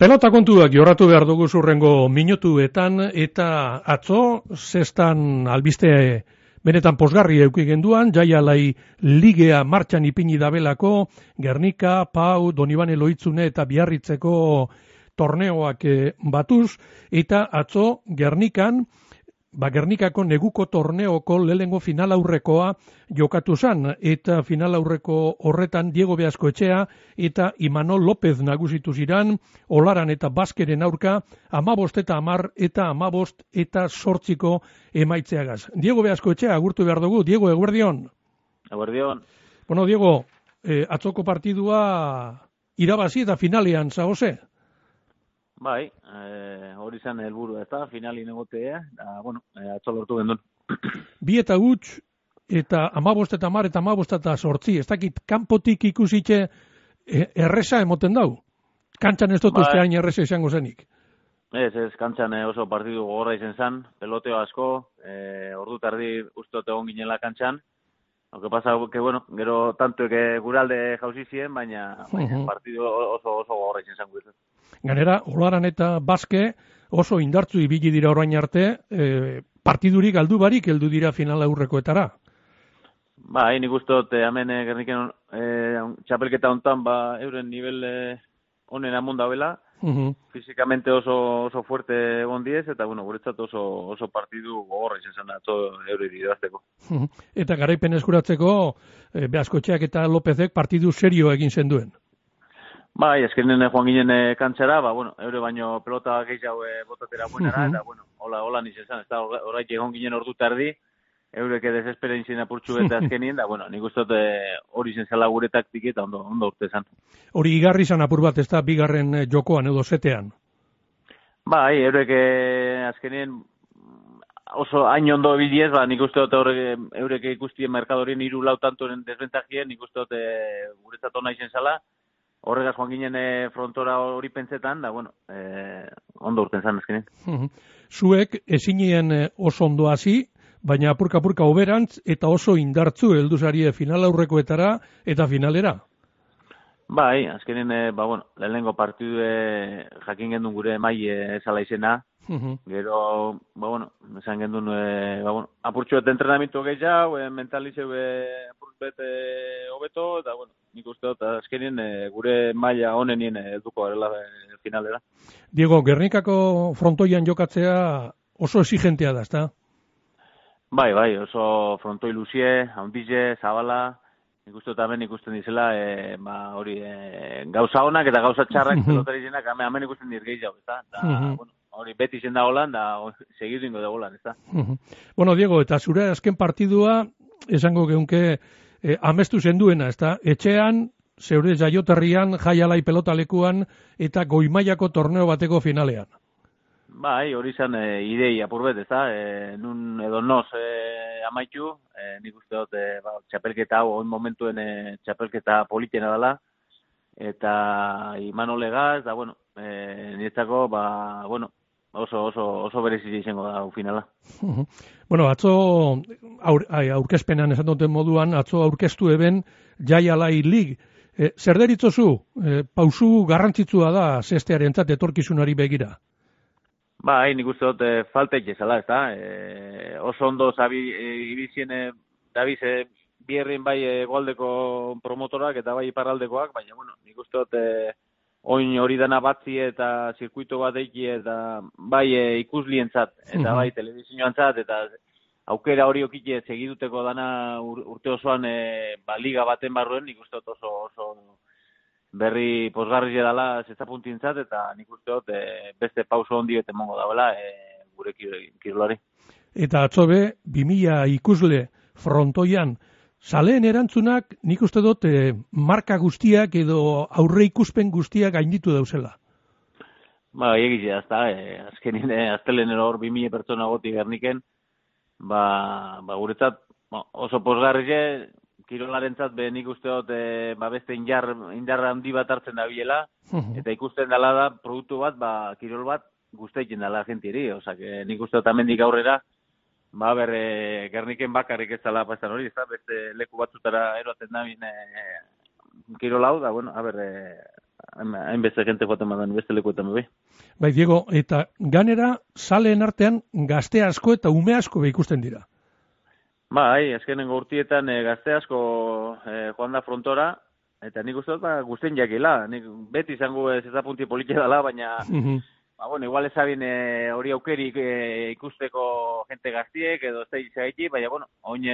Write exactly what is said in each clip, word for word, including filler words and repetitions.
Pelota kontuak jorratu behar dugu zurrengo minutuetan, eta atzo, zestan albiste benetan posgarri euki genduan, Jaialai ligea martxan ipini dabelako, Gernika, Pau, Donibane Loitzune eta Biarritzeko torneoak batuz, eta atzo Gernikan, ba Gernikako neguko torneoko lehengo final aurrekoa jokatu zan, eta final aurreko horretan Diego Beaskoetxea eta Imanol López nagusitu ziran, Olaran eta Baskeren aurka, amabost eta amar eta amabost eta sortziko emaitzeagaz. Diego Beaskoetxea agurtu behar dugu. Diego, eguerdion. Eguerdion. Bueno, Diego, eh, atzoko partidua irabazi eta finalean zagoze? Bai, eh, hori zen helburu ez da, finalin egotea, da, bueno, eh, atzo lortu gendun. Bi eta huts, eta amabost eta amar eta amabost eta sortzi, ez dakit, kanpotik ikusitxe eh, erresa emoten dau? Kantxan ez dut uste hain erresa izango zenik? Ez, ez, kantxan oso partidu gogorra izen zen, peloteo asko, eh, ordu tardi uste dut egon ginela kantxan, aunque pasa que, bueno, gero tanto que guralde jauzi ziren, baina, baina uh-huh. partidu oso, oso gogorra izen zen guretzat. Ganera, Olaran eta Baske oso indartzu ibili dira orain arte, eh, partidurik galdu barik heldu dira final aurrekoetara. Ba, hain ikustot, eh, hemen eh, Gerniken eh, txapelketa hontan, ba, euren nivel eh, onen amon dauela, uh-huh. Fizikamente oso, oso fuerte egon diez, eta, bueno, guretzat oso, oso partidu gogorra izan zen atzo eure idazteko. Uh-huh. Eta garaipen eskuratzeko, eh, Beaskotxeak eta Lopezek partidu serio egin zenduen. Bai, eskerinen joan ginen e, kantxara, ba, bueno, eure baino pelota gehiago e, botatera buenara, uh-huh. eta, bueno, hola, hola nizen zan, ez da, horreik egon ginen ordu tardi, eureke desesperen izin apurtxu eta azkenien, da, bueno, nik uste hori zen zela gure taktik eta ondo, ondo urte zan. Hori igarri zan apur bat, ez da, bigarren jokoan edo zetean? Bai, eureke azkenien oso hain ondo bidiez, ba, nik uste dut eureke ikustien merkadorien hiru lau tantoren desbentajien, nik uste dut e, guretzat ona izen zala, horregaz joan ginen e, frontora hori pentsetan, da, bueno, e, ondo urten zan ezkenen. Uh-huh. Zuek ezinien oso ondo hasi, baina apurka-apurka oberantz eta oso indartzu heldu zarie final aurrekoetara eta finalera. Bai, azkenen, e, ba, bueno, lehenengo partidu e, jakin gendun gure mai e, esala izena, uh-huh. Gero, ba, bueno, esan gendun, e, ba, bueno, apurtxuet entrenamiento gehiago, e, mentalizeu e, apurtxuet hobeto, e, eta, bueno, nik uste dut, azkenien e, gure maila honenien helduko garela e, finalera. Diego, Gernikako frontoian jokatzea oso exigentea da, ezta? Bai, bai, oso frontoi luzie, handize, zabala, nik uste dut hemen ikusten dizela, e, ba, hori, e, gauza honak eta gauza txarrak pelotari zenak, hemen ikusten dir gehiago, ezta? Da, uh-huh. bueno, hori beti zen da holan, da segiringo da holan, ezta? Uh-huh. Bueno, Diego, eta zure azken partidua, esango geunke, eh, amestu zenduena, ezta? Etxean, zeure jaioterrian, Jaialai pelotalekuan, eta goimaiako torneo bateko finalean. Bai, hori zen e, idei apurbet, ezta? E, nun edo noz e, amaitu, e, nik uste dut, e, ba, txapelketa hau, on momentuen e, txapelketa politena dela, eta Imanol Legaz, da, bueno, e, niretzako, ba, bueno, oso, oso, oso berezizia izango da finala. Uh-huh. Bueno, atzo aur, aurkezpenan esan duten moduan, atzo aurkeztu eben Jaialai Lig. E, zer deritzozu, e, pausu garrantzitsua da zestearentzat etorkizunari begira? Bai, nik uste dut e, faltek ezala, ez da? E, oso ondo zabi e, ibizien e, dabiz e, bierrin bai e, goaldeko promotorak eta bai iparraldekoak, baina, bueno, nik uste dut e, oin hori dana batzi eta zirkuito bat eiki eta bai e, ikuslientzat eta bai telebizioantzat eta aukera hori okite segiduteko dana ur, urte osoan e, ba, liga baten barruen, nik uste dut oso, oso berri posgarri dela zestapuntintzat eta nik uste dut e, beste pauso hondi eta emongo dagoela e, gure kirolari. Eta atzobe, bi mila ikusle frontoian, zaleen erantzunak nik uste dut e, marka guztiak edo aurre ikuspen guztiak gainditu dauzela. Ba, egitea, ez da, e, azkenin e, aztelenero hor bi mila pertsona goti Gerniken, ba, ba guretzat oso posgarri kirolarentzat be nik uste dut e, ba beste indar indarra handi bat hartzen da biela, uh-huh. Eta ikusten dela da produktu bat, ba kirol bat gustaitzen dela gentieri, osea que nik uste dut hemendik aurrera ba ber e, Gerniken bakarrik ez dela pasan hori, ezta beste leku batzutara eroaten da bin e, kirol hau da, bueno, a ber e, hainbeste gente joaten badan beste lekuetan bai. Bai, Diego, eta ganera zaleen artean gazte asko eta ume asko be ikusten dira. Bai, azkenengo urtietan e, gazte asko e, joan da frontora, eta nik uste dut ba, guztien jakila. Nik beti izango ez ezapunti politia dela, baina, ba, bueno, igual ezabin e, hori aukerik e, ikusteko gente gaztiek, edo ez da izagaiti, baina, bueno, oin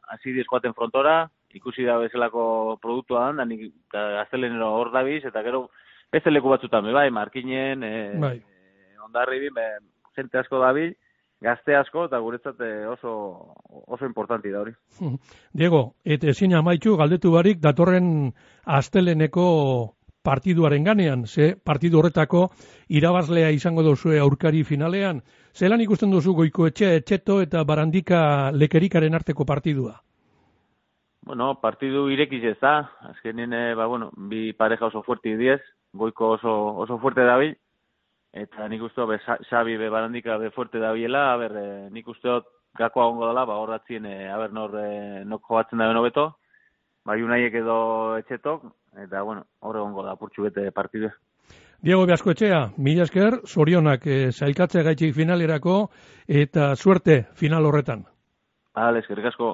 hasi diz joaten frontora, ikusi da bezalako produktua da, nik gaztelenero hor dabiz, eta gero beste leku batzutan, bai, Markinen, e, bai. e, Ondarribin, be, gente asko dabil, gazte asko, eta guretzat oso, oso importanti da hori. Diego, eta ezin amaitu galdetu barik datorren asteleneko partiduaren ganean, ze partidu horretako irabazlea izango duzue aurkari finalean. Zelan ikusten duzu Goikoetxea, Etxeto eta Barandika Lekerikaren arteko partidua? Bueno, partidu irekiz ez da, azkenin, eh, ba, bueno, bi pareja oso fuerte diez, Goiko oso, oso fuerte dabil, eta nik uste be, Xabi be Barandika be fuerte dabilela, a ber, eh, nik uste dut gakoa ongo dela, ba, horratzien, eh, a ber, nor, eh, nok joatzen da benobeto, ba, Unaiek edo Etxetok, eta, bueno, horre ongo da, purtsu bete partidua. Diego Beaskoetxea, mila esker, zorionak eh, zailkatzea gaitxik finalerako, eta suerte final horretan. Bale, eskerrik asko.